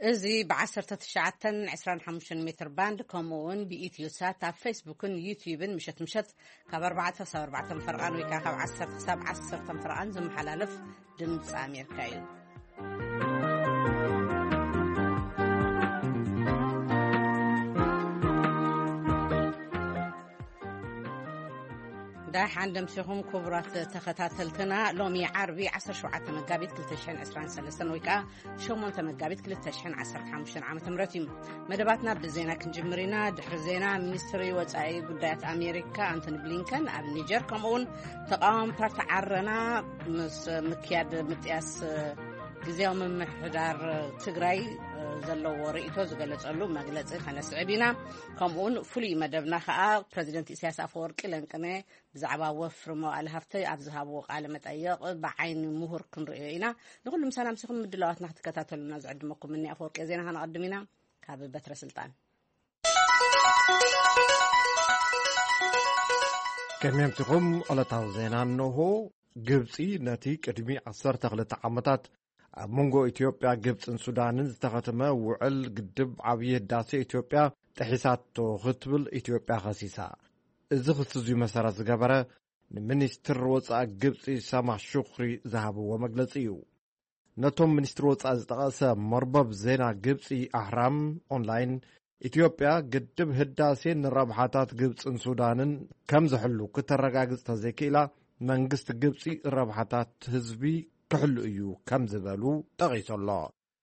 እዚ ብ1925 ሜትር ባንድ፣ ከምኡ እውን ብኢትዮ ሳት ኣብ ፌስቡክን ዩትዩብን ምሸት ምሸት ካብ ኣርባዕተ ክሳብ ኣርባዕተ ፈርቓን ወይ ከዓ ካብ ዓሰርተ ክሳብ ዓሰርተ ፈርቓን ዝመሓላለፍ ድምፂ ኣሜሪካ እዩ። ዳሕን ደምሲኹም ክቡራት ተኸታተልትና፣ ሎሚ ዓርቢ ዓሰርተ ሸውዓተ መጋቢት ክልተ ሽሕን ዕስራን ሰለስተን ወይ ከዓ ሸሞንተ መጋቢት ክልተ ሽሕን ዓሰርተ ሓሙሽተን ዓመተ ምህረት እዩ። መደባትና ብዜና ክንጅምር ኢና። ድሕሪ ዜና፣ ሚኒስትሪ ወጻኢ ጉዳያት ኣሜሪካ ኣንቶኒ ብሊንከን ኣብ ኒጀር፣ ከምኡውን ተቃዋሚ ፓርቲ ዓረና ምስ ምክያድ ምጥያስ ግዝያዊ ምምሕዳር ትግራይ ዘለዎ ርእይቶ ዝገለጸሉ መግለጺ ከነስዕብ ኢና። ከምኡውን ፍሉይ መደብና ከኣ ፕረዚደንት ኢሳያስ ኣፈወርቂ ለንቅነ ብዛዕባ ወፍሪ መዋእለ ሃፍቲ ኣብ ዝሃብዎ ቃለ መጠይቕ ብዓይኒ ምሁር ክንርእዮ ኢና። ንኹሉ ምሳና ምሲኹም ምድላዋትና ክትከታተሉና ዝዕድመኩም እኒ ኣፈወርቂ። ዜና ከነቐድም ኢና። ካብ በትረ ስልጣን። ከመይ ኣምሲኹም? ዕለታዊ ዜና እንሆ። ግብጺ ነቲ ቅድሚ ዓሰርተ ክልተ ዓመታት ኣብ መንጎ ኢትዮጵያ፣ ግብጽን ሱዳንን ዝተኸተመ ውዕል ግድብ ዓብዪ ህዳሴ ኢትዮጵያ ጥሒሳቶ ክትብል ኢትዮጵያ ከሲሳ። እዚ ክሲ እዚ መሰረት ዝገበረ ንሚኒስትር ወጻኢ ግብጺ ሳማህ ሹክሪ ዝሃብዎ መግለጺ እዩ። ነቶም ሚኒስትር ወጻኢ ዝጠቐሰ መርበብ ዜና ግብጺ ኣህራም ኦንላይን፣ ኢትዮጵያ ግድብ ህዳሴ ንረብሓታት ግብጽን ሱዳንን ከም ዝሕሉ ክተረጋግጽ ተዘይክኢላ፣ መንግስቲ ግብጺ ረብሓታት ህዝቢ ክሕሉ እዩ ከም ዝበሉ ጠቒሱ ኣሎ።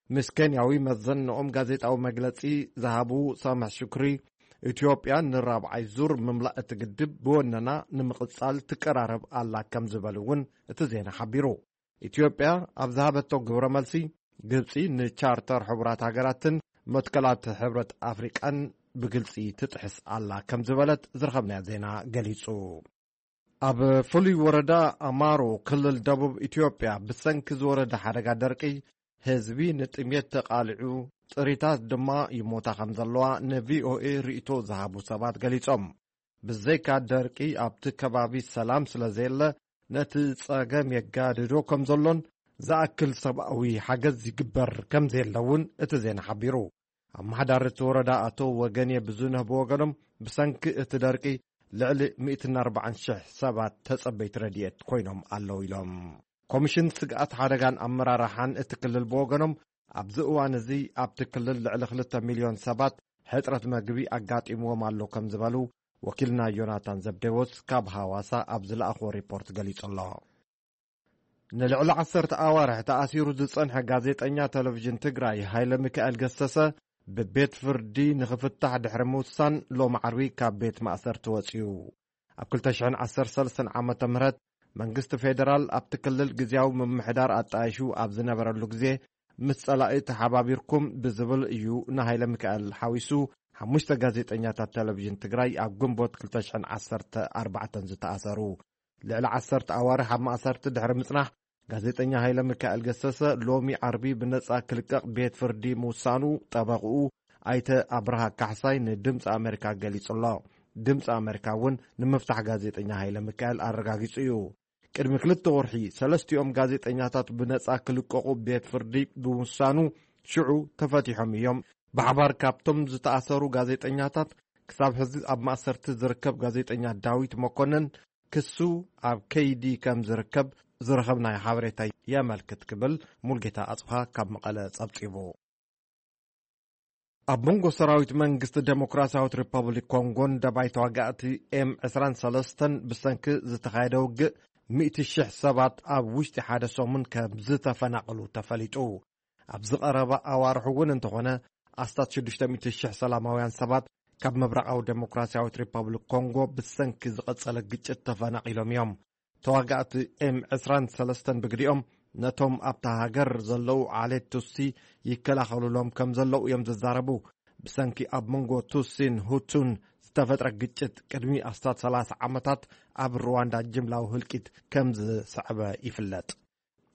ምስ ኬንያዊ መዘንኦም ጋዜጣዊ መግለጺ ዝሃቡ ሳምሕ ሹክሪ፣ ኢትዮጵያ ንራብዓይ ዙር ምምላእ እቲ ግድብ ብወነና ንምቕጻል ትቀራረብ ኣላ ከም ዝበሉ እውን እቲ ዜና ሓቢሩ። ኢትዮጵያ ኣብ ዝሃበቶ ግብረ መልሲ፣ ግብጺ ንቻርተር ሕቡራት ሃገራትን መትከላት ሕብረት ኣፍሪቃን ብግልጺ ትጥሕስ ኣላ ከም ዝበለት ዝረኸብናዮ ዜና ገሊጹ። ኣብ ፍሉይ ወረዳ ኣማሮ ክልል ደቡብ ኢትዮጵያ ብሰንኪ ዝወረደ ሓደጋ ደርቂ ህዝቢ ንጥሜት ተቓሊዑ፣ ጥሪታት ድማ ይሞታ ከም ዘለዋ ንቪኦኤ ርእይቶ ዝሃቡ ሰባት ገሊጾም። ብዘይካ ደርቂ ኣብቲ ከባቢ ሰላም ስለ ዘየለ ነቲ ጸገም የጋድዶ ከም ዘሎን ዝኣክል ሰብኣዊ ሓገዝ ይግበር ከም ዘየለ እውን እቲ ዜና ሓቢሩ። ኣመሓዳሪ እቲ ወረዳ ኣቶ ወገኔ ብዙነህ ብወገኖም፣ ብሰንኪ እቲ ደርቂ ልዕሊ ሚእትን ኣርባዓን ሽሕ ሰባት ተጸበይቲ ረድኤት ኮይኖም ኣለዉ ኢሎም። ኮሚሽን ስግኣት ሓደጋን ኣመራርሓን እቲ ክልል ብወገኖም፣ ኣብዚ እዋን እዚ ኣብቲ ክልል ልዕሊ ክልተ ሚልዮን ሰባት ሕጽረት መግቢ ኣጋጢምዎም ኣሎ ከም ዝበሉ ወኪልና ዮናታን ዘብዴዎስ ካብ ሃዋሳ ኣብ ዝለኣኽዎ ሪፖርት ገሊጹ ኣሎ። ንልዕሊ ዓሰርተ ኣዋርሕ ተኣሲሩ ዝጸንሐ ጋዜጠኛ ቴሌቪዥን ትግራይ ሃይለ ሚካኤል ገሰሰ ብቤት ፍርዲ ንኽፍታሕ ድሕሪ ምውሳን፣ ሎም ዓርቢ ካብ ቤት ማእሰርቲ ወጺኡ። ኣብ ክልተ ሽሕን ዓሰርተ ሰለስተን ዓመተ ምህረት መንግስቲ ፌደራል ኣብቲ ክልል ግዝያዊ ምምሕዳር ኣጣይሹ ኣብ ዝነበረሉ ግዜ፣ ምስ ጸላኢ ተሓባቢርኩም ብዝብል እዩ ንሃይለ ሚካኤል ሓዊሱ ሓሙሽተ ጋዜጠኛታት ቴሌቪዥን ትግራይ ኣብ ግንቦት ክልተ ሽሕን ዓሰርተ ኣርባዕተን ዝተኣሰሩ። ልዕሊ ዓሰርተ ኣዋርሕ ኣብ ማእሰርቲ ድሕሪ ምጽናሕ፣ ጋዜጠኛ ሃይለ ሚካኤል ገሰሰ ሎሚ ዓርቢ ብነጻ ክልቀቕ ቤት ፍርዲ ምውሳኑ ጠበቕኡ ኣይተ ኣብርሃ ካሕሳይ ንድምፂ ኣሜሪካ ገሊጹ ኣሎ። ድምፂ ኣሜሪካ እውን ንምፍታሕ ጋዜጠኛ ሃይለ ሚካኤል ኣረጋጊጹ እዩ። ቅድሚ ክልተ ወርሒ ሰለስቲኦም ጋዜጠኛታት ብነጻ ክልቀቑ ቤት ፍርዲ ብምውሳኑ ሽዑ ተፈቲሖም እዮም። ብሓባር ካብቶም ዝተኣሰሩ ጋዜጠኛታት ክሳብ ሕዚ ኣብ ማእሰርቲ ዝርከብ ጋዜጠኛ ዳዊት መኮነን ክሱ ኣብ ከይዲ ከም ዝርከብ ዝረኸብናዮ ሓበሬታ የመልክት ክብል ሙልጌታ ኣጽብሃ ካብ መቐለ ጸብጺቡ። ኣብ መንጎ ሰራዊት መንግስቲ ዴሞክራሲያዊት ሪፐብሊክ ኮንጎን ደባይ ተዋጋእቲ ኤም ዕስራን ሰለስተን ብሰንኪ ዝተኻየደ ውግእ፣ ሚእቲ ሽሕ ሰባት ኣብ ውሽጢ ሓደ ሰሙን ከም ዝተፈናቐሉ ተፈሊጡ። ኣብዚ ቀረባ ኣዋርሕ እውን እንተኾነ፣ ኣስታት ሽዱሽተ ሚእቲ ሽሕ ሰላማውያን ሰባት ካብ ምብራቓዊ ዴሞክራሲያዊት ሪፐብሊክ ኮንጎ ብሰንኪ ዝቐጸለ ግጭት ተፈናቒሎም እዮም። ተዋጋእቲ ኤም ዕስራን ሰለስተን ብግዲኦም፣ ነቶም ኣብታ ሃገር ዘለዉ ዓሌት ቱሲ ይከላኸሉሎም ከም ዘለዉ እዮም ዝዛረቡ። ብሰንኪ ኣብ መንጎ ቱሲን ሁቱን ዝተፈጥረ ግጭት፣ ቅድሚ ኣስታት ሰላሳ ዓመታት ኣብ ሩዋንዳ ጅምላዊ ህልቂት ከም ዝሰዕበ ይፍለጥ።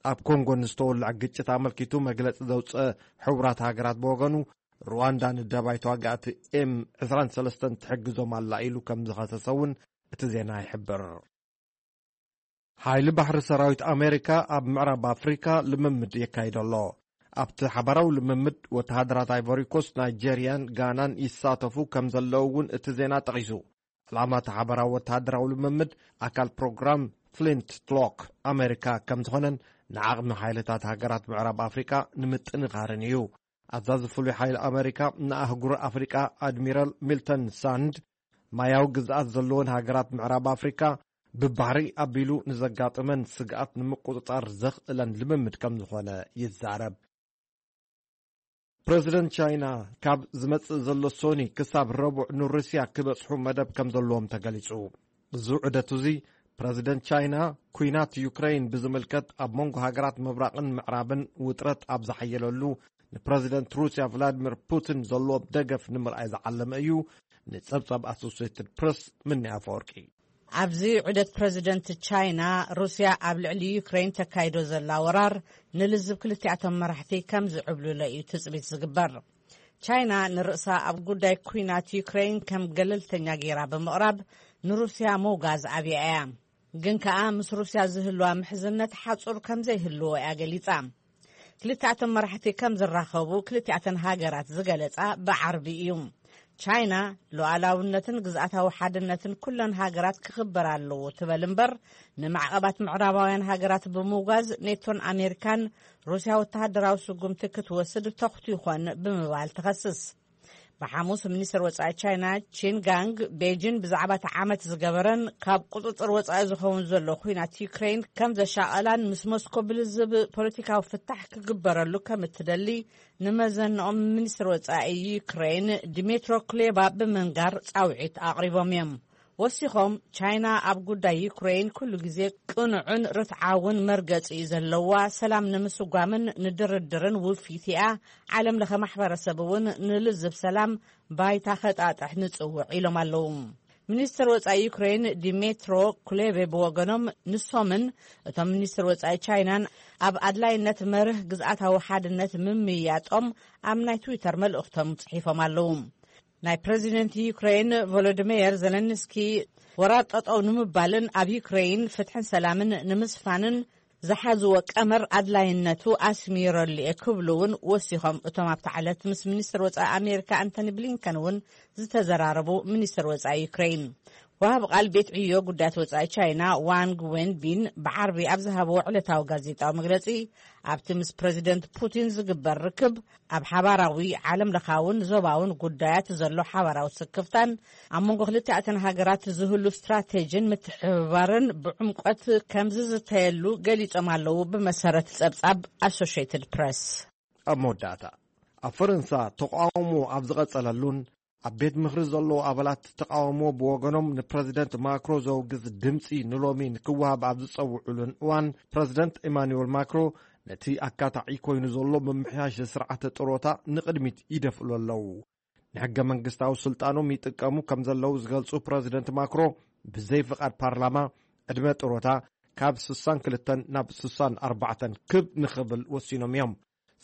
ኣብ ኮንጎ ንዝተወልዐ ግጭት ኣመልኪቱ መግለጺ ዘውጽአ ሕቡራት ሃገራት ብወገኑ፣ ሩዋንዳ ንደባይ ተዋጋእቲ ኤም ዕስራን ሰለስተን ትሕግዞም ኣላ ኢሉ ከም ዝኸሰሰ እውን እቲ ዜና ይሕብር። ሓይሊ ባሕሪ ሰራዊት ኣሜሪካ ኣብ ምዕራብ ኣፍሪካ ልምምድ የካይድ ኣሎ። ኣብቲ ሓባራዊ ልምምድ ወተሃደራት ኣይቮሪኮስ፣ ናይጀርያን ጋናን ይሳተፉ ከም ዘለዉ እውን እቲ ዜና ጠቒሱ። ዕላማ እቲ ሓባራዊ ወተሃደራዊ ልምምድ ኣካል ፕሮግራም ፍሊንት ሎክ ኣሜሪካ ከም ዝኾነን ንዓቕሚ ሓይልታት ሃገራት ምዕራብ ኣፍሪቃ ንምጥንኻርን እዩ። ኣዛዚ ፍሉይ ሓይሊ ኣሜሪካ ንኣህጉር ኣፍሪቃ ኣድሚራል ሚልተን ሳንድ፣ ማያዊ ግዝኣት ዘለወን ሃገራት ምዕራብ ኣፍሪቃ ብባሕሪ ኣቢሉ ንዘጋጥመን ስግኣት ንምቁጽጻር ዘኽእለን ልምምድ ከም ዝኾነ ይዛረብ። ፕረዚደንት ቻይና ካብ ዝመጽእ ዘሎ ሶኒ ክሳብ ረቡዕ ንሩስያ ክበጽሑ መደብ ከም ዘለዎም ተገሊጹ። እዚ ዑደት እዚ ፕረዚደንት ቻይና ኩናት ዩክሬን ብዝምልከት ኣብ መንጎ ሃገራት ምብራቕን ምዕራብን ውጥረት ኣብ ዝሓየለሉ ንፕረዚደንት ሩስያ ቭላድሚር ፑቲን ዘለዎም ደገፍ ንምርኣይ ዝዓለመ እዩ። ንጸብጻብ ኣሶሲየትድ ፕረስ ምንያ ኣፈወርቂ። ኣብዚ ዑደት ፕረዚደንት ቻይና ሩስያ ኣብ ልዕሊ ዩክሬን ተካይዶ ዘላ ወራር ንልዝብ ክልቲኣቶም መራሕቲ ከም ዝዕብልሎ እዩ ትጽቢት ዝግበር። ቻይና ንርእሳ ኣብ ጉዳይ ኩናት ዩክሬን ከም ገለልተኛ ገይራ ብምቕራብ ንሩስያ ምውጋዝ ኣብያ እያ። ግን ከኣ ምስ ሩስያ ዝህልዋ ምሕዝነት ሓጹር ከም ዘይህልዎ እያ ገሊጻ። ክልቲኣቶም መራሕቲ ከም ዝራኸቡ ክልቲኣተን ሃገራት ዝገለጻ ብዓርቢ እዩ። ቻይና ሉዓላውነትን ግዝኣታዊ ሓድነትን ኩለን ሃገራት ክኽበር ኣለዎ ትበል እምበር፣ ንማዕቐባት ምዕራባውያን ሃገራት ብምውጋዝ ኔቶን ኣሜሪካን ሩስያ ወተሃደራዊ ስጉምቲ ክትወስድ ተኹት ይኾን ብምባል ትኸስስ። ብሓሙስ ሚኒስትር ወጻኢ ቻይና ቺን ጋንግ ቤጂን ብዛዕባ እቲ ዓመት ዝገበረን ካብ ቁጽጽር ወጻኢ ዝኸውን ዘሎ ኩናት ዩክሬን ከም ዘሻቐላን ምስ ሞስኮ ብልዝብ ፖለቲካዊ ፍታሕ ክግበረሉ ከም እትደሊ ንመዘንኦም ሚኒስትር ወጻኢ ዩክሬን ዲሜትሮ ኩሌባ ብምንጋር ጻውዒት ኣቕሪቦም እዮም። ወሲኾም ቻይና ኣብ ጉዳይ ዩክሬን ኩሉ ግዜ ቅኑዕን ርትዓውን መርገጺ እዩ ዘለዋ፣ ሰላም ንምስጓምን ንድርድርን ውፊት እያ፣ ዓለም ለኸ ማሕበረሰብ እውን ንልዝብ ሰላም ባይታ ከጣጥሕ ንጽውዕ ኢሎም ኣለዉ። ሚኒስትር ወጻኢ ዩክሬን ዲሜትሮ ኩሌቤ ብወገኖም ንሶምን እቶም ሚኒስትር ወጻኢ ቻይናን ኣብ ኣድላይነት መርህ ግዝኣታዊ ሓድነት ምምያጦም ኣብ ናይ ትዊተር መልእኽቶም ጽሒፎም ኣለዉ። ናይ ፕረዚደንት ዩክሬን ቮሎዲሜር ዘለንስኪ ወራር ጠጠው ንምባልን ኣብ ዩክሬን ፍትሕን ሰላምን ንምስፋንን ዝሓዝዎ ቀመር ኣድላይነቱ ኣስሚረሉ እየ ክብሉ እውን ወሲኾም። እቶም ኣብታ ዕለት ምስ ሚኒስትር ወጻኢ ኣሜሪካ ኣንቶኒ ብሊንከን እውን ዝተዘራረቡ ሚኒስትር ወጻኢ ዩክሬን፣ ወሃብ ቃል ቤት ዕዮ ጉዳያት ወጻኢ ቻይና ዋንግ ዌንቢን ብዓርቢ ኣብ ዝሃብዎ ዕለታዊ ጋዜጣዊ መግለጺ፣ ኣብቲ ምስ ፕረዚደንት ፑቲን ዝግበር ርክብ ኣብ ሓባራዊ ዓለም ለኻውን ዞባውን ጉዳያት ዘሎ ሓባራዊ ስክፍታን ኣብ መንጎ ክልቲኣተን ሃገራት ዝህሉ ስትራቴጂን ምትሕብባርን ብዕምቆት ከም ዝዝተየሉ ገሊጾም ኣለዉ። ብመሰረት ጸብጻብ ኣሶሽየትድ ፕረስ። ኣብ መወዳእታ፣ ኣብ ፈረንሳ ተቃውሞ ኣብ ዝቐጸለሉን ኣብ ቤት ምኽሪ ዘለዉ ኣባላት ተቃውሞ ብወገኖም ንፕረዚደንት ማክሮ ዘውግዝ ድምጺ ንሎሚ ንክወሃብ ኣብ ዝጸውዑሉን እዋን፣ ፕረዚደንት ኢማኑኤል ማክሮ ነቲ ኣካታዒ ኮይኑ ዘሎ ምምሕያሽ ስርዓተ ጥሮታ ንቕድሚት ይደፍእሉ ኣለዉ። ንሕገ መንግስታዊ ስልጣኖም ይጥቀሙ ከም ዘለዉ ዝገልጹ ፕረዚደንት ማክሮ፣ ብዘይ ፍቓድ ፓርላማ ዕድመ ጥሮታ ካብ ስሳን ክልተን ናብ ስሳን ኣርባዕተን ክብ ንኽብል ወሲኖም እዮም።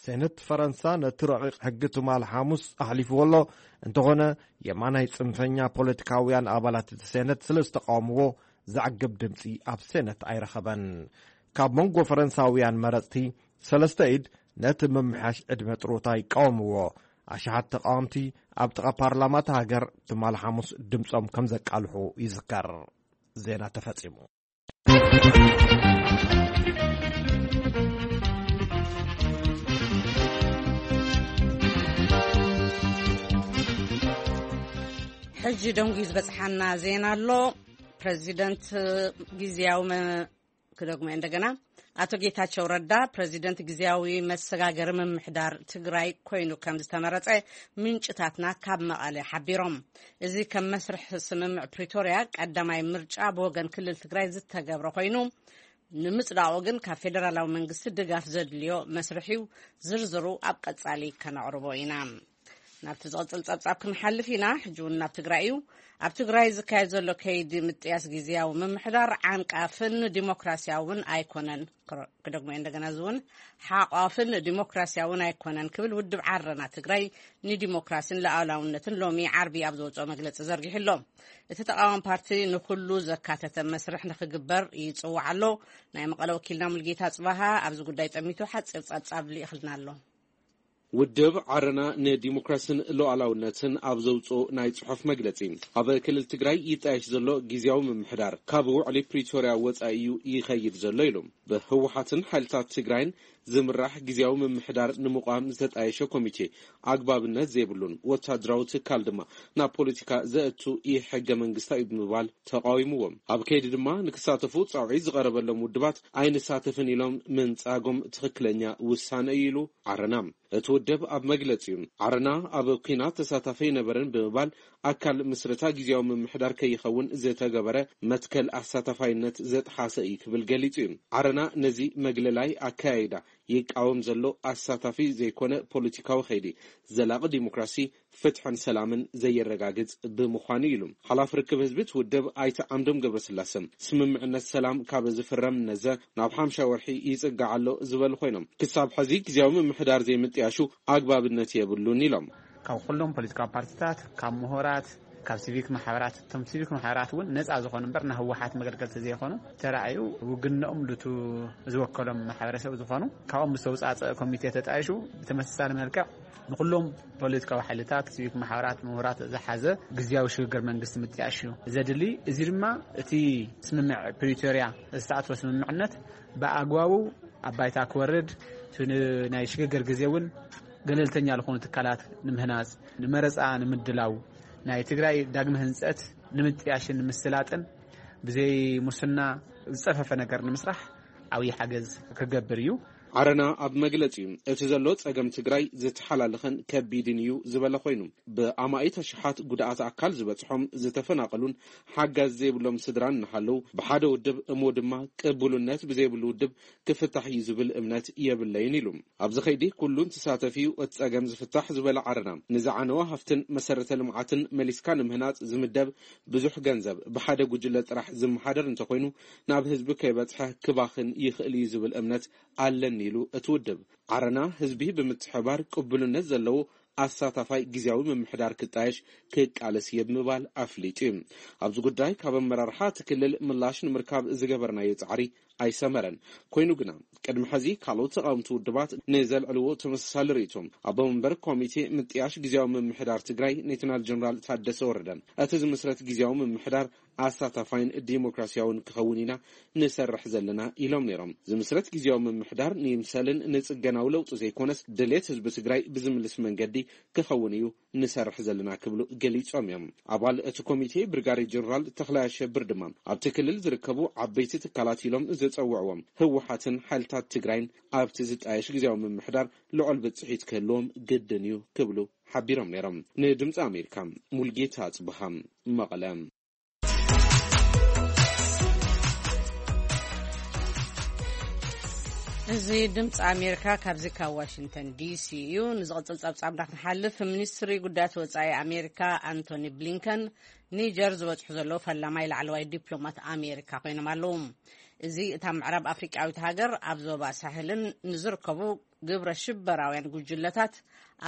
ሴነት ፈረንሳ ነቲ ረቂቕ ሕጊ ትማል ሓሙስ ኣሕሊፍዎ ኣሎ። እንተኾነ፣ የማናይ ጽንፈኛ ፖለቲካውያን ኣባላት እቲ ሴነት ስለ ዝተቃወምዎ፣ ዘዕግብ ድምጺ ኣብ ሴነት ኣይረኸበን። ካብ መንጎ ፈረንሳውያን መረጽቲ፣ ሰለስተ ኢድ ነቲ ምምሕያሽ ዕድመ ጥሮታ ይቃወምዎ። ኣሽሓት ተቃወምቲ ኣብ ጥቓ ፓርላማ እታ ሃገር ትማል ሓሙስ ድምጾም ከም ዘቃልሑ ይዝከር። ዜና ተፈጺሙ። ሕጂ ደንጉዩ ዝበጽሓና ዜና ኣሎ። ፕረዚደንት ግዝያዊ መ-፣ ክደግሞ እንደገና፣ ኣቶ ጌታቸው ረዳ ፕረዚደንት ግዝያዊ መሰጋገሪ ምምሕዳር ትግራይ ኮይኑ ከም ዝተመረጸ ምንጭታትና ካብ መቐለ ሓቢሮም። እዚ ከም መስርሕ ስምምዕ ፕሪቶርያ ቀዳማይ ምርጫ ብወገን ክልል ትግራይ ዝተገብረ ኮይኑ፣ ንምጽዳቑ ግን ካብ ፌደራላዊ መንግስቲ ድጋፍ ዘድልዮ መስርሕ እዩ። ዝርዝሩ ኣብ ቀጻሊ ከነቕርቦ ኢና። ናብቲ ዝቕጽል ጸብጻብ ክንሓልፍ ኢና። ሕጂ እውን ናብ ትግራይ እዩ። ኣብ ትግራይ ዝካየድ ዘሎ ከይዲ ምጥያስ ግዝያዊ ምምሕዳር ዓንቃፍን ዲሞክራሲያውን ኣይኮነን። ክረ-፣ ክደግሞ እየ እንደገና፣ እዚ እውን ሓቋፍን ዲሞክራሲያውን ኣይኮነን ክብል ውድብ ዓረና ትግራይ ንዲሞክራሲን ሉዓላውነትን ሎሚ ዓርቢ ኣብ ዘውፅኦ መግለፂ ዘርጊሑ ኣሎ። እቲ ተቃዋሚ ፓርቲ ንኩሉ ዘካተተ መስርሕ ንክግበር ይፅዋዕ ኣሎ። ናይ መቐለ ወኪልና ሙልጌታ ፅባሃ ኣብዚ ጉዳይ ጠሚቱ ሓፂር ፀብፃብ ልኢኽልና ኣሎ። ውድብ ዓረና ንዲሞክራስን ሉዓላውነትን ኣብ ዘውፅኦ ናይ ጽሑፍ መግለጺ፣ ኣብ ክልል ትግራይ ይጣየሽ ዘሎ ግዝያዊ ምምሕዳር ካብ ውዕሊ ፕሪቶርያ ወጻኢ እዩ ይኸይድ ዘሎ ኢሉ። ብህወሓትን ሓይልታት ትግራይን ዝምራሕ ግዝያዊ ምምሕዳር ንምቋም ዝተጣየሸ ኮሚቴ ኣግባብነት ዘይብሉን ወታደራዊ ትካል ድማ ናብ ፖለቲካ ዘእቱ ኢ ሕገ መንግስታዊ ብምባል ተቃዊምዎም። ኣብ ከይዲ ድማ ንክሳተፉ ጻውዒት ዝቐረበሎም ውድባት ኣይንሳተፍን ኢሎም ምንጻጎም ትኽክለኛ ውሳነ እዩ ኢሉ ዓረና። እቲ ውድብ ኣብ መግለጺኡ፣ ዓረና ኣብ ኲናት ተሳታፊ ኣይነበረን ብምባል ኣካል ምስረታ ግዝያዊ ምምሕዳር ከይኸውን ዝተገበረ መትከል ኣሳታፋይነት ዘጥሓሰ እዩ ክብል ገሊጹ እዩ። ዓረና ነዚ መግለላይ ኣካያይዳ ይቃወም ዘሎ ኣሳታፊ ዘይኮነ ፖለቲካዊ ከይዲ ዘላቒ ዲሞክራሲ፣ ፍትሕን ሰላምን ዘየረጋግጽ ብምዃኑ ኢሉ። ሓላፊ ርክብ ህዝቢ እቲ ውድብ ኣይተ ዓምዶም ገብረስላሰ፣ ስምምዕነት ሰላም ካብ ዝፍረም ነዘ ናብ ሓምሻ ወርሒ ይጽጋዕ ኣሎ ዝበሉ ኮይኖም፣ ክሳብ ሕዚ ግዝያዊ ምምሕዳር ዘይምጥያሹ ኣግባብነት የብሉን ኢሎም። ካብ ኩሎም ፖለቲካዊ ፓርቲታት፣ ካብ ምሁራት፣ ካብ ሲቪክ ማሕበራት፣ እቶም ሲቪክ ማሕበራት እውን ነፃ ዝኾኑ እምበር ናይ ህወሓት መገልገልቲ ዘይኮኑ ተራእዩ ውግንኦም ሉቱ ዝወከሎም ማሕበረሰብ ዝኾኑ ካብኦም ዝተውፃፀአ ኮሚቴ ተጣይሹ ብተመሳሳሊ መልክዕ ንኩሎም ፖለቲካዊ ሓይልታት፣ ሲቪክ ማሕበራት፣ ምሁራት ዝሓዘ ግዝያዊ ሽግግር መንግስቲ ምጥያሽ እዩ ዘድሊ። እዚ ድማ እቲ ስምምዕ ፕሪቶርያ ዝተኣትወ ስምምዕነት ብኣግባቡ ኣብ ባይታ ክወርድ፣ እቲ ን-፣ ናይ ሽግግር ግዜ እውን ገለልተኛ ዝኾኑ ትካላት ንምህናፅ፣ ንመረፃ ንምድላው፣ ናይ ትግራይ ዳግመ ህንፀት ንምጥያሽን ንምስላጥን ብዘይ ሙስና ዝፀፈፈ ነገር ንምስራሕ ዓብዪ ሓገዝ ክገብር እዩ። ዓረና ኣብ መግለጺኡ፣ እቲ ዘሎ ጸገም ትግራይ ዝተሓላለኸን ከቢድን እዩ ዝበለ ኮይኑ፣ ብኣማኢት ኣሽሓት ጉድኣት ኣካል ዝበጽሖም ዝተፈናቐሉን ሓጋዝ ዘይብሎም ስድራን እናሃለዉ፣ ብሓደ ውድብ እሞ ድማ ቅቡልነት ብዘይብሉ ውድብ ክፍታሕ እዩ ዝብል እምነት የብለይን ኢሉ። ኣብዚ ኸይዲ ኩሉን ተሳተፊ እዩ እቲ ጸገም ዝፍታሕ ዝበለ ዓረና፣ ንዝዓነወ ሃፍትን መሰረተ ልምዓትን መሊስካ ንምህናጽ ዝምደብ ብዙሕ ገንዘብ ብሓደ ጉጅለ ጥራሕ ዝመሓደር እንተኾይኑ፣ ናብ ህዝቢ ከይበጽሐ ክባኽን ይኽእል እዩ ዝብል እምነት ኣለኒ ኢሉ እቲ ውድብ። ዓረና ህዝቢ ብምትሕባር ቅቡልነት ዘለዎ ኣሳታፋይ ግዝያዊ ምምሕዳር ክጣየሽ ክቃለስ እየ ብምባል ኣፍሊጡ እዩ። ኣብዚ ጉዳይ ካብ ኣመራርሓ እቲ ክልል ምላሽ ንምርካብ ዝገበርናዮ ጻዕሪ ኣይሰመረን። ኮይኑ ግና፣ ቅድሚ ሕዚ ካልኦት ተቓወምቲ ውድባት ንዘልዕልዎ ተመሳሳሊ ርእይቶ፣ ኣቦ መንበር ኮሚቴ ምጥያሽ ግዝያዊ ምምሕዳር ትግራይ ሌተናል ጀነራል ታደሰ ወረደ፣ እቲ ዝምስረት ግዝያዊ ምምሕዳር ኣሳታፋይን ዲሞክራሲያውን ክኸውን ኢና ንሰርሕ ዘለና ኢሎም ነይሮም። ዝምስረት ግዝያዊ ምምሕዳር ንይምሰልን ንጽገናዊ ለውጢ ዘይኮነስ ድሌት ህዝቢ ትግራይ ብዝምልስ መንገዲ ክኸውን እዩ ንሰርሕ ዘለና ክብሉ ገሊጾም እዮም። ኣባል እቲ ኮሚቴ ብርጋዴር ጀነራል ተኽላይ ኣሸብር ድማ ኣብቲ ክልል ዝርከቡ ዓበይቲ ትካላት ኢሎም ዝጸውዕዎም ህወሓትን ሓይልታት ትግራይን ኣብቲ ዝጣየሽ ግዝያዊ ምምሕዳር ልዑል ብጽሒት ክህልዎም ግድን እዩ ክብሉ ሓቢሮም ነይሮም። ንድምፂ ኣሜሪካ ሙልጌታ ኣጽብሃ መቐለ። እዚ ድምፂ ኣሜሪካ ካብዚ ካብ ዋሽንግተን ዲሲ እዩ። ንዝቕፅል ፀብፃብ እንዳክንሓልፍ፣ ሚኒስትሪ ጉዳያት ወፃኢ ኣሜሪካ ኣንቶኒ ብሊንከን ኒጀር ዝበፅሑ ዘለዉ ፈላማይ ላዕለዋይ ዲፕሎማት ኣሜሪካ ኮይኖም ኣለዉ። እዚ እታ ምዕራብ ኣፍሪቃዊት ሃገር ኣብ ዞባ ሳህልን ንዝርከቡ ግብረ ሽበራውያን ጉጅለታት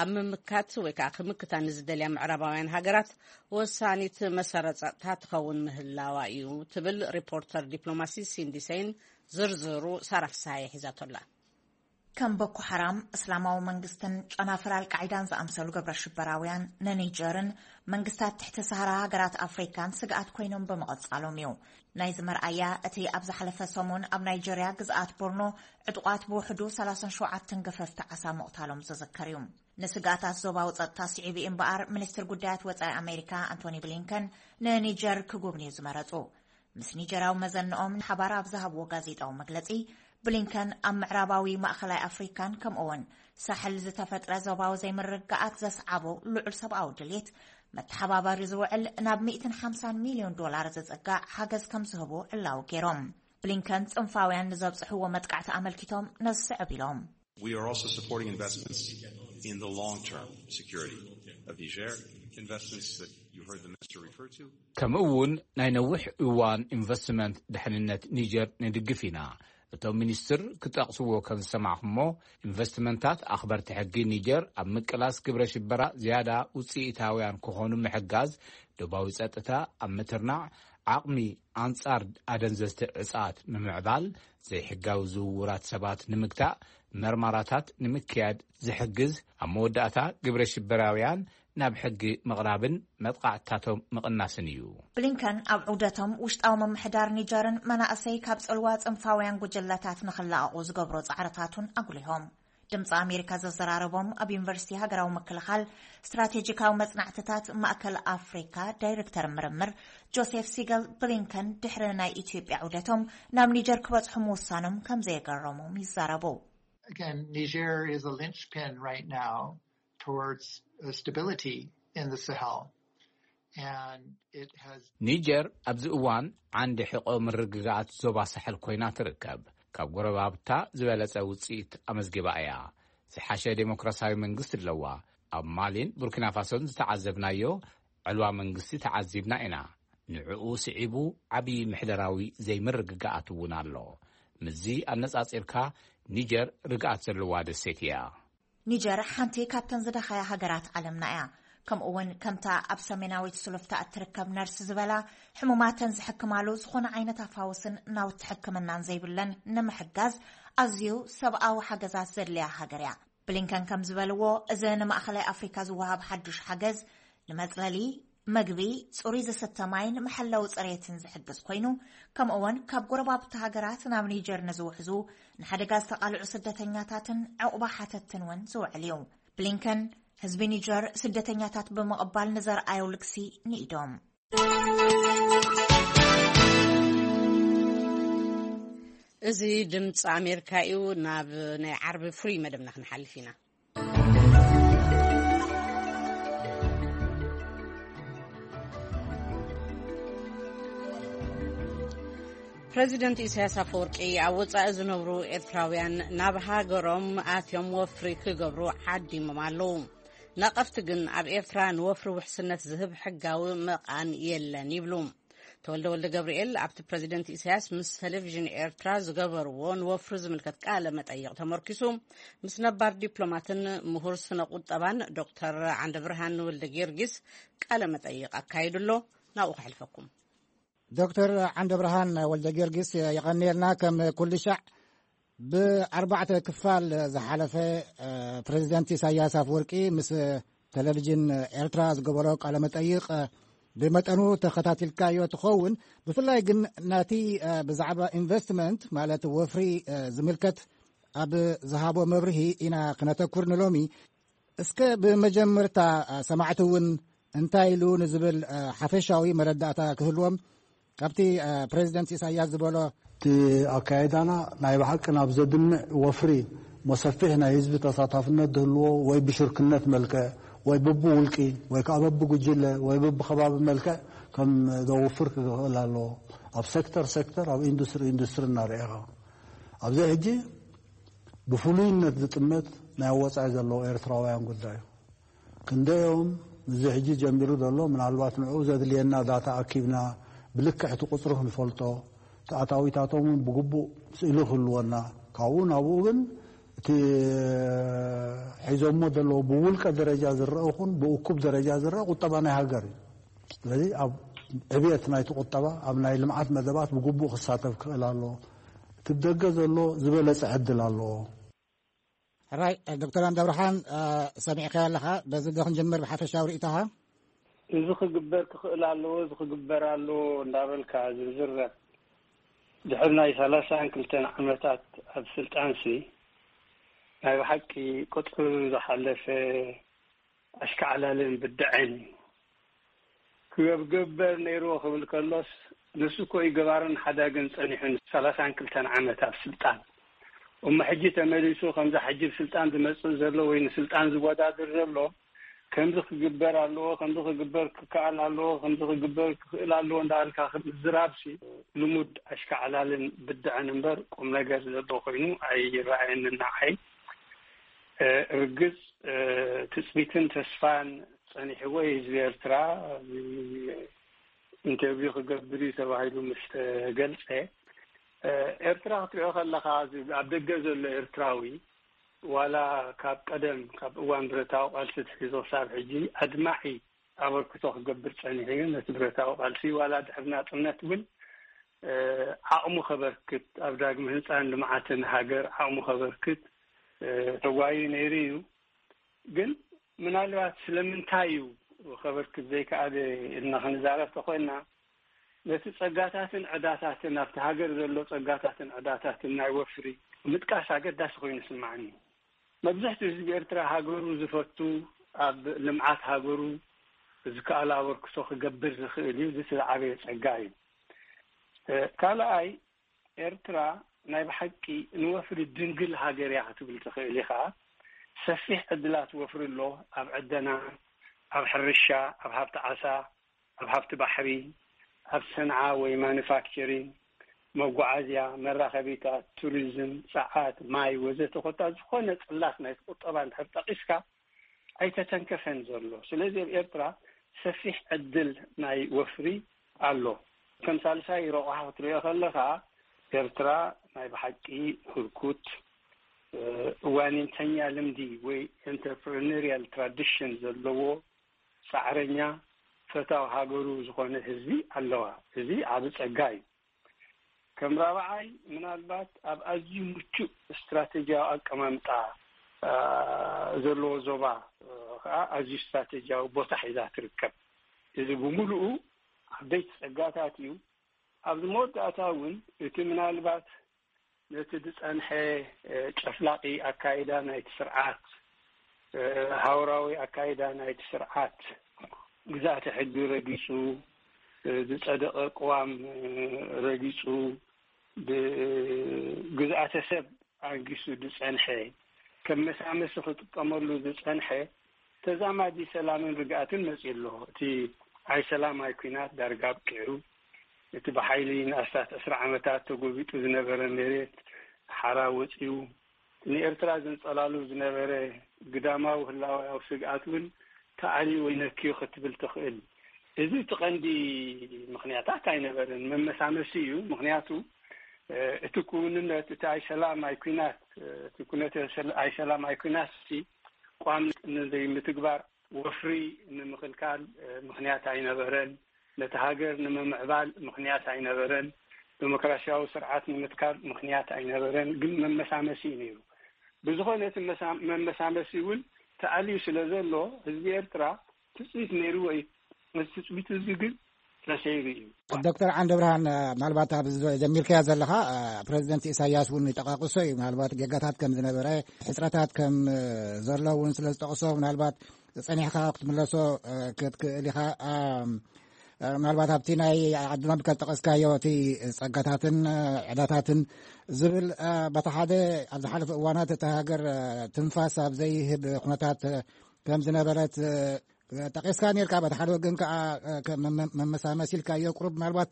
ኣብ ምምካት ወይ ከዓ ክምክታ ንዝደልያ ምዕራባውያን ሃገራት ወሳኒት መሰረት ጸጥታ ትኸውን ምህላዋ እዩ ትብል ሪፖርተር ዲፕሎማሲ ሲንዲ ሴይን። ዝርዝሩ ሳራ ፍስሃየ ሒዛቶላ። ከም ቦኮ ሓራም፣ እስላማዊ መንግስትን ጨናፍር ኣልቃዒዳን ዝኣምሰሉ ግብረ ሽበራውያን ንኒጀርን መንግስታት ትሕቲ ሰሃራ ሃገራት ኣፍሪካን ስግኣት ኮይኖም ብምቕጻሎም እዩ። ናይዚ መርኣያ እቲ ኣብ ዝሓለፈ ሰሙን ኣብ ናይጀርያ ግዝኣት ቦርኖ ዕጡቓት ብውሕዱ ሰላሳን ሸውዓተን ገፈፍቲ ዓሳ ምቕታሎም ዝዝከር እዩ። ንስግኣታት ዞባዊ ጸጥታ ስዒቡ እዩ እምበኣር፣ ሚኒስትር ጉዳያት ወጻኢ ኣሜሪካ ኣንቶኒ ብሊንከን ንኒጀር ክጉብንዩ ዝመረጹ። ምስ ኒጀራዊ መዘንኦም ንሓባር ኣብ ዝሃብዎ ጋዜጣዊ መግለጺ፣ ብሊንከን ኣብ ምዕራባዊ ማእኸላይ ኣፍሪካን ከምኡውን ሳሕል ዝተፈጥረ ዞባዊ ዘይምርግጋኣት ዘስዓቦ ልዑል ሰብኣዊ ድሌት መተሓባባሪ ዝውዕል ናብ ሚእትን ሓምሳን ሚልዮን ዶላር ዝጽጋዕ ሓገዝ ከም ዝህቡ ዕላዊ ገይሮም። ብሊንከን ጽንፋውያን ንዘብጽሕዎ መጥቃዕቲ ኣመልኪቶም ነዚ ስዕብ ኢሎም። We are also supporting investments in the long-term security of Niger, investments that you heard the minister refer to. ከምኡ እውን ናይ ነዊሕ እዋን ኢንቨስትመንት ድሕንነት ኒጀር ንድግፍ ኢና። እቶም ሚኒስትር ክጠቕስዎ ከም ዝሰማዕኹሞ፣ ኢንቨስትመንታት ኣኽበርቲ ሕጊ ኒጀር ኣብ ምቅላስ ግብረ ሽበራ ዝያዳ ውፅኢታውያን ክኾኑ ምሕጋዝ፣ ዶባዊ ጸጥታ ኣብ ምትርናዕ፣ ዓቕሚ ኣንጻር ኣደንዘዝቲ ዕጻት ንምዕባል፣ ዘይሕጋዊ ዝውውራት ሰባት ንምግታእ፣ መርማራታት ንምክያድ ዝሕግዝ፣ ኣብ መወዳእታ ግብረ ሽበራውያን ናብ ሕጊ ምቕራብን መጥቓዕትታቶም ምቕናስን እዩ። ብሊንከን ኣብ ዑደቶም ውሽጣዊ ምምሕዳር ኒጀርን መናእሰይ ካብ ጽልዋ ጽንፋውያን ጉጅለታት ንኽላቐቑ ዝገብሮ ጻዕርታቱን ኣጉሊሆም። ድምፂ ኣሜሪካ ዘዘራረቦም ኣብ ዩኒቨርሲቲ ሃገራዊ ምክልኻል ስትራቴጂካዊ መፅናዕትታት ማእከል ኣፍሪካ ዳይሬክተር ምርምር ጆሴፍ ሲገል፣ ብሊንከን ድሕሪ ናይ ኢትዮጵያ ዑደቶም ናብ ኒጀር ክበፅሑ ምውሳኖም ከም ዘየገረሞም ይዛረቡ። Again, Niger is a linchpin right now towards uh, stability in the Sahel. And it has ኒጀር ኣብዚ እዋን ዓንዲ ሕቆ ምርግጋኣት ዞባ ሳሕል ኮይና ትርከብ። ካብ ጎረባብታ ዝበለጸ ውጽኢት ኣመዝጊባ እያ። ዝሓሸ ዴሞክራሲያዊ መንግስቲ ኣለዋ። ኣብ ማሊን ቡርኪና ፋሶን ዝተዓዘብናዮ ዕልዋ መንግስቲ ተዓዚብና ኢና። ንዕኡ ስዒቡ ዓብዪ ምሕደራዊ ዘይምርግጋኣት እውን ኣሎ። ምስዚ ኣነጻጺርካ ኒጀር ርግኣት ዘለዋ ደሴት እያ። ኒጀር ሓንቲ ካብተን ዝደኸያ ሃገራት ዓለምና እያ። ከምኡ እውን ከምታ ኣብ ሰሜናዊት ስሉፍታ እትርከብ ነርስ ዝበላ፣ ሕሙማተን ዝሕክማሉ ዝኾነ ዓይነት ኣፋውስን ናውቲ ሕክምናን ዘይብለን ንምሕጋዝ ኣዝዩ ሰብኣዊ ሓገዛት ዘድልያ ሃገር እያ። ብሊንከን ከም ዝበልዎ፣ እዚ ንማእኸላይ ኣፍሪካ ዝወሃብ ሓዱሽ ሓገዝ ንመፅለሊ፣ መግቢ፣ ፅሩይ ዝስተ ማይን መሐለዊ ፅሬትን ዝሕግዝ ኮይኑ፣ ከምኡ እውን ካብ ጎረባብቲ ሃገራት ናብ ኒጀር ንዝውሕዙ ንሓደጋ ዝተቓልዑ ስደተኛታትን ዕቑባ ሓተትን እውን ዝውዕል እዩ። ብሊንከን ህዝቢ ኒጀር ስደተኛታት ብምቕባል ንዘርኣዮ ልግሲ ንኢዶም። እዚ ድምፂ ኣሜሪካ እዩ። ናብ ናይ ዓርቢ ፍሉይ መደብና ክንሓልፍ ኢና። ፕረዚደንት ኢሳያስ ኣፈወርቂ ኣብ ወጻኢ ዝነብሩ ኤርትራውያን ናብ ሃገሮም ኣትዮም ወፍሪ ክገብሩ ዓዲሞም ኣለዉ። ነቐፍቲ ግን ኣብ ኤርትራ ንወፍሪ ውሕስነት ዝህብ ሕጋዊ መቓን የለን ይብሉ። ተወልደ ወልደ ገብርኤል ኣብቲ ፕረዚደንት ኢሳያስ ምስ ቴሌቪዥን ኤርትራ ዝገበርዎ ንወፍሪ ዝምልከት ቃለ መጠይቕ ተመርኪሱ ምስ ነባር ዲፕሎማትን ምሁር ስነ ቁጠባን ዶክተር ዓንደብርሃን ወልደ ጊዮርጊስ ቃለ መጠይቕ ኣካይዱ ኣሎ። ናብኡ ከሕልፈኩም። ዶክተር ዓንደብርሃን ወልደ ጊዮርጊስ፣ የቐንየልና። ከም ኩሉ ሻዕ ብኣርባዕተ ክፋል ዝሓለፈ፣ እ፣ ፕረዚደንት ኢሳያስ ኣፈወርቂ ምስ ቴሌቪዥን ኤርትራ ዝገበሮ ቃለ መጠይቕ፣ እ፣ ብመጠኑ ተኸታቲልካዮ ትኸውን። ብፍላይ ግን ናቲ፣ እ፣ ብዛዕባ ኢንቨስትመንት ማለት ወፍሪ፣ እ፣ ዝምልከት ኣብ ዝሃቦ መብርሂ ኢና ክነተኩር ንሎሚ። እስከ ብመጀመርታ፣ እ፣ ሰማዕቲ እውን እንታይ ኢሉ ንዝብል፣ እ፣ ሓፈሻዊ መረዳእታ ክህልዎም ካብቲ፣ እ፣ ፕሬዚደንት ኢሳያስ ዝበሎ። እቲ ኣካይዳና ናይ ብሓቂ ናብ ዘድምዕ ወፍሪ መሰፊሕ ናይ ህዝቢ ተሳታፍነት ዝህልዎ ወይ ብሽርክነት መልክዕ ወይ ብብውልቂ ወይ ከዓ በብጉጅለ ወይ በብከባቢ መልክዕ ከም ዘውፍር ክኽእል ኣለዎ። ኣብ ሴክተር ሴክተር፣ ኣብ ኢንዱስትሪ ኢንዱስትሪ እናርኤኻ ኣብዚ ሕጂ ብፍሉይነት ዝጥመት ናይ ወጻኢ ዘለዉ ኤርትራውያን ጉዳይ እዩ። ክንደዮም እዚ ሕጂ ጀሚሩ ዘሎ፣ ምናልባት ንዕኡ ዘድልየና ዳታ ኣኪብና ብልክዕ እቲ ቁጽሪ ክንፈልጦ፣ እቲ ኣታዊታቶም እውን ብግቡእ ስእሊ ክህልወና፣ ካብኡ ናብኡ ግን እቲ ሒዞሞ ዘለዉ ብውልቀ ደረጃ ዝረአ ይኹን ብእኩብ ደረጃ ዝረአ ቁጠባ ናይ ሃገር እዩ። ስለዚ ኣብ ዕብየት ናይቲ ቁጠባ፣ ኣብ ናይ ልምዓት መደባት ብግቡእ ክሳተፍ ክኽእል ኣለዎ። እቲ ብደገ ዘሎ ዝበለጸ ዕድል ኣለዎ። ሕራይ ዶክተር ኣንዳብርሃን፣ እ፣ ሰሚዕካዮ ኣለኻ። በዚ ዶ ክንጅምር ብሓፈሻዊ ርእይቶኻ? እዚ ክግበር ክኽእል ኣለዎ፣ እዚ ክግበር ኣለዎ እንዳበልካ ዝርዝር ድሕሪ ናይ ሰላሳን ክልተን ዓመታት ኣብ ስልጣንሲ ናይ ብሓቂ ቁጥሪ ዝሓለፈ ኣሽካዕላልን ብድዐን እዩ። ክገብገበር ነይርዎ ክብል ከሎስ፣ ንሱ እኮ እዩ ገባርን ሓዳግን ጸኒሑ ንሰላሳን ክልተን ዓመት ኣብ ስልጣን። እሞ ሕጂ ተመሊሱ ከምዛ ሕጂ ብስልጣን ዝመጽእ ዘሎ ወይ ንስልጣን ዝወዳድር ዘሎ፣ ከምዚ ክግበር ኣለዎ፣ ከምዚ ክግበር ክከኣል ኣለዎ፣ ከምዚ ክግበር ክኽእል ኣለዎ እንዳበልካ ምዝራብሲ ልሙድ ኣሽካዕላልን ብድዐን እምበር ቁም ነገር ዘሎ ኮይኑ ኣይረኣየንን ንዓይ። እ፣ ርግጽ፣ እ፣ ትጽቢትን ተስፋን ጸኒሕዎ እዩ ህዝቢ ኤርትራ። ኢንተርቪው ክገብር እዩ ተባሂሉ ምስ ተገልጸ፣ እ፣ ኤርትራ ክትሪኦ ከለኻ፣ እዚ ኣብ ደገ ዘሎ ኤርትራዊ፣ ዋላ ካብ ቀደም፣ ካብ እዋን ብረታዊ ቃልሲ ትሒዞ ክሳብ ሕጂ ኣድማዒ ኣበርክቶ ክገብር ጸኒሑ እዩ። ነቲ ብረታዊ ቃልሲ፣ ዋላ ድሕሪ ናጽነት እውን፣ እ፣ ዓቕሙ ከበርክት፣ ኣብ ዳግመ ህንጻን ልምዓትን ሃገር ዓቕሙ ከበርክት፣ ተጓዩ ነይሩ እዩ። ግን ምናልባት ስለምንታይ እዩ ከበርክት ዘይከኣለ ኢልና ክንዛረብ ተኾይና፣ ነቲ ጸጋታትን ዕዳታትን፣ ኣብቲ ሃገር ዘሎ ጸጋታትን ዕዳታትን ናይ ወፍሪ ምጥቃስ ኣገዳሲ ኮይኑ ይስምዓኒ። መብዛሕትኡ ህዝቢ ኤርትራ ሃገሩ ዝፈቱ፣ ኣብ ልምዓት ሃገሩ ዝከኣሎ ኣበርክቶ ክገብር ዝኽእል እዩ። እዚ እቲ ዝዓበየ ጸጋ እዩ። ካልኣይ፣ ኤርትራ ናይ ብሓቂ ንወፍሪ ድንግል ሃገር እያ ክትብል ትኽእል ኢኻ። ሰፊሕ ዕድላት ወፍሪ ኣሎ። ኣብ ዕደና፣ ኣብ ሕርሻ፣ ኣብ ሃብቲ ዓሳ፣ ኣብ ሃብቲ ባሕሪ፣ ኣብ ሰንዓ ወይ ማኑፋክቸሪንግ፣ መጓዓዝያ፣ መራኸቢታት፣ ቱሪዝም፣ ጸዓት፣ ማይ ወዘተ፣ ኮታ ዝኾነ ጽላት ናይ ቁጠባ እንድሕር ጠቒስካ ኣይተተንከፈን ዘሎ። ስለዚ ኣብ ኤርትራ ሰፊሕ ዕድል ናይ ወፍሪ ኣሎ። ከም ሳልሳይ ረቑሓ ክትሪኦ ከለኻ፣ ኤርትራ ናይ ብሓቂ ህርኩት እዋኒንተኛ ልምዲ ወይ ኢንተርፕረነሪያል ትራዲሽን ዘለዎ ጻዕረኛ ፈታው ሃገሩ ዝኾነ ህዝቢ ኣለዋ። እዚ ዓቢ ጸጋ እዩ። ከም ራብዓይ፣ ምናልባት ኣብ ኣዝዩ ምቹእ ስትራቴጂያዊ ኣቀማምጣ ዘለዎ ዞባ ከዓ ኣዝዩ ስትራቴጂያዊ ቦታ ሒዛ ትርከብ። እዚ ብምሉኡ ዓበይቲ ጸጋታት እዩ። ኣብዚ መወዳእታ እውን እቲ ምናልባት ነቲ ዝጸንሐ ጨፍላቂ ኣካይዳ ናይቲ ስርዓት፣ ሃውራዊ ኣካይዳ ናይቲ ስርዓት፣ ግዛእቲ ሕጊ ረጊጹ፣ ዝጸደቐ ቅዋም ረጊጹ፣ ብግዝኣተ ሰብ ኣንጊሱ ዝጸንሐ፣ ከም መሳመሲ ክጥቀመሉ ዝጸንሐ ተዛማዲ ሰላምን ርግኣትን መጺኡ ኣሎ። እቲ ኣይ ሰላም ኣይ ኲናት ዳርጋ ኣብቂዑ፣ እቲ ብሓይሊ ንኣስታት ዕስራ ዓመታት ተጎቢጡ ዝነበረ መሬት ሓራ ወጺኡ፣ ንኤርትራ ዘንጸላሉ ዝነበረ ግዳማዊ ህላወያዊ ስግኣት እውን ተኣልዩ ወይ ነክዩ ክትብል ትኽእል። እዚ እቲ ቀንዲ ምኽንያታት ኣይነበረን፣ መመሳመሲ እዩ። ምኽንያቱ እቲ ክውንነት፣ እቲ ኣይ ሰላም ኣይ ኲናት፣ እቲ ኩነተ ኣይ ሰላም ኣይ ኲናት ሲ ቋም ንዘይምትግባር፣ ወፍሪ ንምኽልካል ምኽንያት ኣይነበረን። ነቲ ሃገር ንምምዕባል ምኽንያት ኣይነበረን። ዲሞክራሲያዊ ስርዓት ንምትካል ምኽንያት ኣይነበረን። ግን መመሳመሲ እዩ ነይሩ። ብዝኾነ እቲ መሳ-፣ መመሳመሲ እውን ተኣልዩ ስለ ዘሎ፣ ህዝቢ ኤርትራ ትጽቢት ነይሩ ወይ ነቲ ትጽቢት እዚ ግን ተሰይሩ እዩ። ዶክተር ዓንደ ብርሃን፣ ምናልባት ኣብ ጀሚርካዮ ዘለኻ፣ ፕሬዚደንት ኢሳያስ እውን ይጠቃቅሶ እዩ። ምናልባት ጌጋታት ከም ዝነበረ፣ ሕፅረታት ከም ዘሎ እውን ስለ ዝጠቅሶ፣ ምናልባት ጸኒሕካ ክትምለሶ ክትክእል ኢኻ። ምናልባት ኣብቲ ናይ ዓድና ብከል ጠቀስካዮ፣ እቲ ጸጋታትን ዕዳታትን ዝብል፣ በቲ ሓደ ኣብ ዝሓለፈ እዋናት እታ ሃገር ትንፋስ ኣብ ዘይህብ ኩነታት ከም ዝነበረት ጠቂስካ ነርካ። በቲ ሓደ ወገን ከዓ መመሳመሲ ኢልካዮ፣ ቁሩብ ምናልባት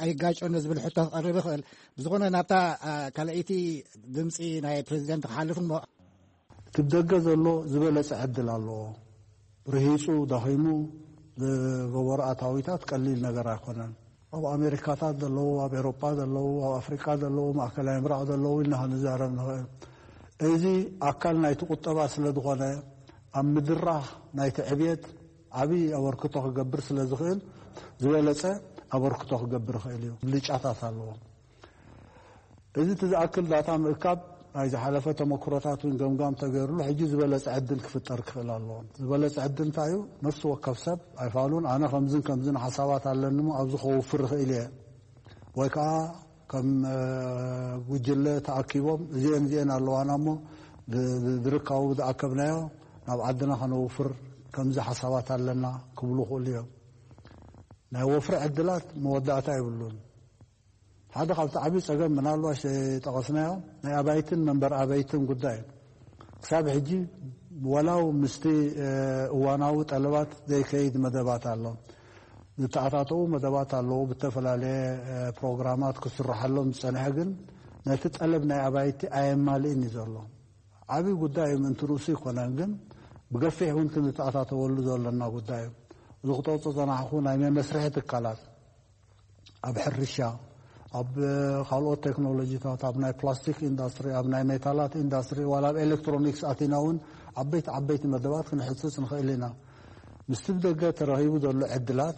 ኣይጋጨን ዝብል ሕቶ ክቐርብ ይኽእል። ብዝኾነ ናብታ ካልኣይቲ ድምፂ ናይ ፕሬዚደንት ክሓልፍ እሞ፣ እቲ ብደገ ዘሎ ዝበለጸ ዕድል ኣለዎ። ርሂጹ፣ ደኺሙ ዝገበሮ ኣታዊታት ቀሊል ነገር ኣይኮነን። ኣብ ኣሜሪካታት ዘለዉ፣ ኣብ ኤሮጳ ዘለዉ፣ ኣብ ኣፍሪቃ ዘለዉ፣ ማእከላይ ምብራቕ ዘለዉ ኢልና ክንዛረብ ንኽእል። እዚ ኣካል ናይቲ ቁጠባ ስለ ዝኾነ፣ ኣብ ምድራኽ ናይቲ ዕብየት ዓብዪ ኣበርክቶ ክገብር ስለ ዝኽእል፣ ዝበለጸ ኣበርክቶ ክገብር ይኽእል እዩ። ብልጫታት ኣለዎ። እዚ እቲ ዝኣክል ዳታ ምእካብ፣ ናይ ዝሓለፈ ተመክሮታት እውን ገምጋም ተገይሩሉ፣ ሕጂ ዝበለጸ ዕድል ክፍጠር ክኽእል ኣለዎ። ዝበለጸ ዕድል እንታይ እዩ? ነፍሲ ወከፍ ሰብ ኣይፋሉን፣ ኣነ ከምዝን ከምዝን ሓሳባት ኣለኒ እሞ ኣብዚ ከውፍር ይኽእል እየ፣ ወይ ከዓ ከም፣ እ፣ ጉጅለ ተኣኪቦም እዚኤን እዚኤን ኣለዋና እሞ ዝ-፣ ዝ-፣ ዝርካቡ ዝኣከብናዮ ናብ ዓድና ከነውፍር ከምዚ ሓሳባት ኣለና ክብሉ ይኽእሉ እዮም። ናይ ወፍሪ ዕድላት መወዳእታ የብሉን። ሓደ ካብቲ ዓብዪ ጸገም ምናልባሽ ዘይጠቐስናዮ ናይ ኣባይትን መንበር ኣባይትን ጉዳይ እዩ። ክሳብ ሕጂ ወላው ምስቲ፣ እ፣ እዋናዊ ጠለባት ዘይከይድ መደባት ኣሎ። ዝተኣታተዉ መደባት ኣለዉ፣ ብተፈላለየ፣ እ፣ ፕሮግራማት ክስርሓሎም ዝጸንሐ፣ ግን ነቲ ጠለብ ናይ ኣባይቲ ኣየማልእን እዩ ዘሎ። ዓብዪ ጉዳይ እዩ፣ ምእንቲ ርእሱ ይኮነን፣ ግን ብገፊሕ እውን ክንተኣታተወሉ ዘለና ጉዳይ እዩ። እዚ ክጠቕሶ ዝጸናሕኩ ናይ መመስርሒ ትካላት፣ ኣብ ሕርሻ፣ ኣብ ካልኦት ቴክኖሎጂታት፣ ኣብ ናይ ፕላስቲክ ኢንዳስትሪ፣ ኣብ ናይ ሜታላት ኢንዳስትሪ፣ ዋላ ኣብ ኤሌክትሮኒክስ ኣቲና እውን ዓበይቲ ዓበይቲ መደባት ክንሕጽጽ ንኽእል ኢና። ምስቲ ብደገ ተረኺቡ ዘሎ ዕድላት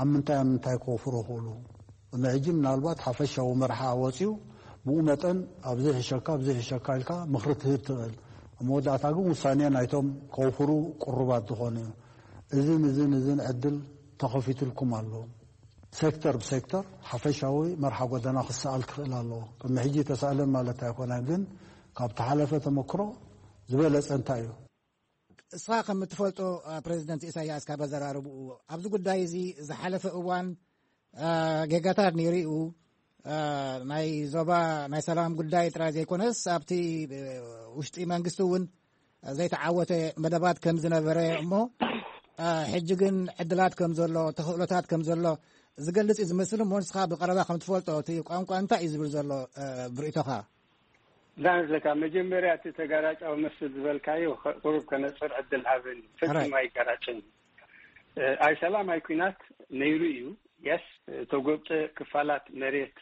ኣብ ምንታይ ኣብ ምንታይ ክወፍሩ ይኽእሉ? ንሕጂ ምናልባት ሓፈሻዊ መርሓ ወጺኡ፣ ብኡ መጠን ኣብዚ ሕሸካ ኣብዚ ሕሸካ ኢልካ ምኽሪ ትህብ ትኽእል። ኣብ መወዳእታ ግን ውሳኔ ናይቶም ከውፍሩ ቅሩባት ዝኾኑ እዩ። እዝን እዝን እዝን ዕድል ተኸፊትልኩም ኣሎ። ሴክተር ብሴክተር ሓፈሻዊ መርሓ ጎደና ክሰኣል ክኽእል ኣለዎ። ቅድሚ ሕጂ ተሳእለን ማለት ኣይኮነን፣ ግን ካብ ተሓለፈ ተመክሮ ዝበለጸ እንታይ እዩ? እስኻ ከም እትፈልጦ ፕሬዚደንት ኢሳያስ ካብ ኣዘራርብኡ ኣብዚ ጉዳይ እዚ ዝሓለፈ እዋን ጌጋታት ነይሩ እዩ። ናይ ዞባ ናይ ሰላም ጉዳይ ጥራይ ዘይኮነስ ኣብቲ ውሽጢ መንግስቲ እውን ዘይተዓወተ መደባት ከም ዝነበረ እሞ ሕጂ ግን ዕድላት ከም ዘሎ ተኽእሎታት ከም ዘሎ ዝገልጽ እዩ ዝመስል እሞ ንስኻ ብቐረባ ከም ትፈልጦ እቲ ቋንቋ እንታይ እዩ ዝብል ዘሎ ብርእቶኻ? ዳንስ ለካ መጀመርያ እቲ ተጋራጫዊ መስል ዝበልካዮ ቁሩብ ከነፅር ዕድል ሃበኒ። ፈፂሙ ኣይጋራጭን። ኣይ ሰላም ኣይ ኩናት ነይሩ እዩ። የስ ተጎብጠ ክፋላት መሬት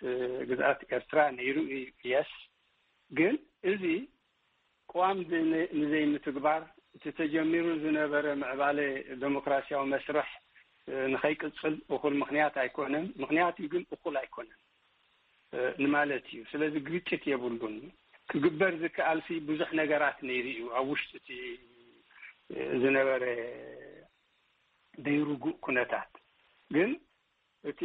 ግዝኣት ኤርትራ ነይሩ እዩ። የስ ግን እዚ ቅዋም ንዘይምትግባር እቲ ተጀሚሩ ዝነበረ ምዕባለ ዴሞክራሲያዊ መስርሕ ንኸይቅፅል እኹል ምኽንያት ኣይኮነን። ምኽንያት እዩ ግን እኹል ኣይኮነን ንማለት እዩ። ስለዚ ግጭት የብሉን። ክግበር ዝከኣልሲ ብዙሕ ነገራት ነይሩ እዩ ኣብ ውሽጢ እቲ ዝነበረ ደይርጉእ ኩነታት። ግን እቲ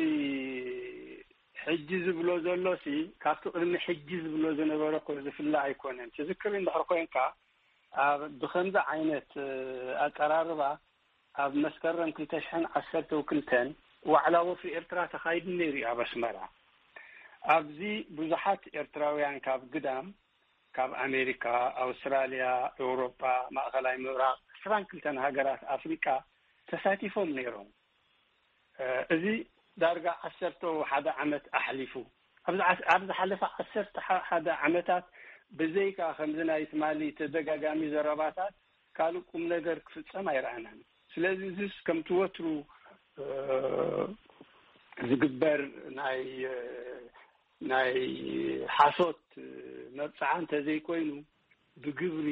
ሕጂ ዝብሎ ዘሎሲ ካብቲ ቅድሚ ሕጂ ዝብሎ ዝነበረ እኮ ዝፍለ ኣይኮነን። ትዝክር እንድሕር ኮይንካ ኣብ ብከምዚ ዓይነት ኣቀራርባ ኣብ መስከረም ክልተ ሽሕን ዓሰርተ ክልተን ዋዕላ ወፍሪ ኤርትራ ተኻይዱ ነይሩ እዩ ኣብ ኣስመራ። ኣብዚ ብዙሓት ኤርትራውያን ካብ ግዳም ካብ ኣሜሪካ፣ ኣውስትራልያ፣ ኤውሮጳ፣ ማእኸላይ ምብራቕ፣ ዕስራን ክልተን ሃገራት ኣፍሪቃ ተሳቲፎም ነይሮም። እዚ ዳርጋ ዓሰርተ ሓደ ዓመት ኣሕሊፉ። ኣብ ዝሓለፈ ዓሰርተ ሓደ ዓመታት ብዘይካ ከምዚ ናይ ትማሊ ተደጋጋሚ ዘረባታት ካልእ ቁም ነገር ክፍጸም ኣይረኣናን። ስለዚ እዚስ ከምቲ ወትሩ ዝግበር ናይ ናይ ሓሶት መብጽዓ እንተዘይኮይኑ ብግብሪ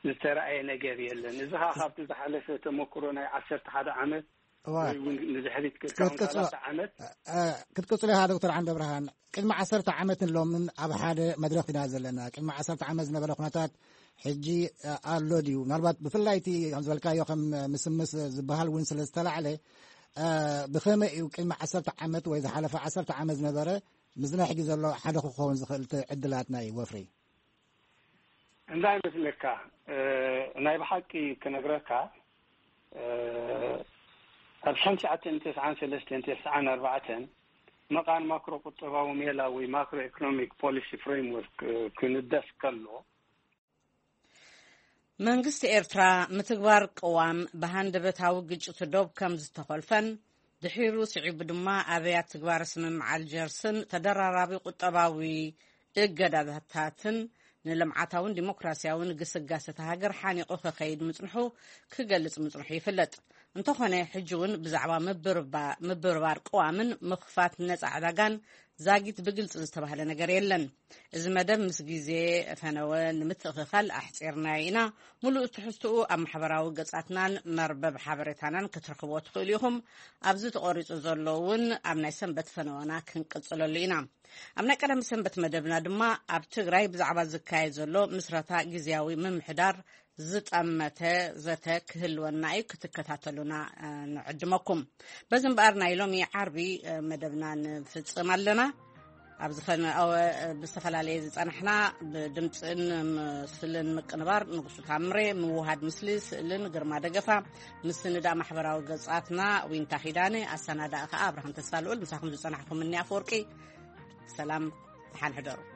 ዝተረኣየ ነገር የለን። እዚ ኸዓ ካብቲ ዝሓለፈ ተመክሮ ናይ ዓሰርተ ሓደ ዓመት ወይ እውን ንድሕሪት ክርካውን ክትቅጽሎ- ሰላሳ ዓመት ክትቅጽሎ ኢኻ ዶክተር ዓንደ ብርሃን። ቅድሚ ዓሰርተ ዓመትን ሎምን ኣብ ሓደ መድረኽ ኢና ዘለና። ቅድሚ ዓሰርተ ዓመት ዝነበረ ኩነታት ሕጂ ኣሎ ድዩ? ምናልባት ብፍላይ እቲ ከም ዝበልካዮ ከም ምስምስ ዝበሃል እውን ስለ ዝተላዕለ ብኸመይ እዩ ቅድሚ ዓሰርተ ዓመት ወይ ዝሓለፈ ዓሰርተ ዓመት ዝነበረ ምስና ሕጂ ዘሎ ሓደ ክኸውን ዝኽእል እቲ ዕድላት ናይ ወፍሪ? እንታይ መስለካ፣ ናይ ብሓቂ ክነግረካ፣ ኣብ ሓንቲ ዓተን ተስዓን ሰለስተን ተስዓን ኣርባዕተን መቓን ማክሮ ቁጠባዊ ሜላ ወይ ማክሮ ኢኮኖሚክ ፖሊሲ ፍሬምወርክ ክንደፍ ከሎ፣ መንግስቲ ኤርትራ ምትግባር ቅዋም ብሃንደበታዊ ግጭት ዶብ ከም ዝተኾልፈን ድሒሩ ስዒቡ ድማ ኣብያት ትግባረ ስምምዕ ኣልጀርስን ተደራራቢ ቁጠባዊ እገዳታትን ንልምዓታውን ዲሞክራሲያውን ግስጋሰ እታ ሃገር ሓኒቑ ክኸይድ ምጽንሑ ክገልጽ ምጽንሑ ይፍለጥ። እንተኾነ ሕጂ እውን ብዛዕባ ምብርባር ቅዋምን ምኽፋት ነጻ ዕዳጋን ዛጊት ብግልጺ ዝተባህለ ነገር የለን። እዚ መደብ ምስ ግዜ ፈነወ ንምትእኽኻል ኣሕጺርናዮ ኢና። ሙሉእ ትሕዝትኡ ኣብ ማሕበራዊ ገጻትናን መርበብ ሓበሬታናን ክትረኽብዎ ትኽእሉ ኢኹም። ኣብዚ ተቖሪጹ ዘሎ እውን ኣብ ናይ ሰንበት ፈነወና ክንቅጽለሉ ኢና። ኣብ ናይ ቀዳሚ ሰንበት መደብና ድማ ኣብ ትግራይ ብዛዕባ ዝካየድ ዘሎ ምስረታ ግዝያዊ ምምሕዳር ዝጠመተ ዘተ ክህልወና እዩ። ክትከታተሉና ንዕድመኩም። በዚ እምበኣር ናይ ሎሚ ዓርቢ መደብና ንፍጽም ኣለና። ኣብ ዝፈነወ ብዝተፈላለየ ዝጸናሕና ብድምፅን ምስልን ምቅንባር ንጉሱ ታምሬ፣ ምውሃድ ምስሊ ስእልን ግርማ ደገፋ፣ ምስንዳእ ማሕበራዊ ገጻትና ዊንታ ኪዳነ፣ ኣሰናዳኢ ከኣ ኣብርሃም ተስፋ ልኡል። ምሳኹም ዝጸናሕኩም እኒ ኣፈወርቂ። ሰላም፣ ደሓን ሕደሩ።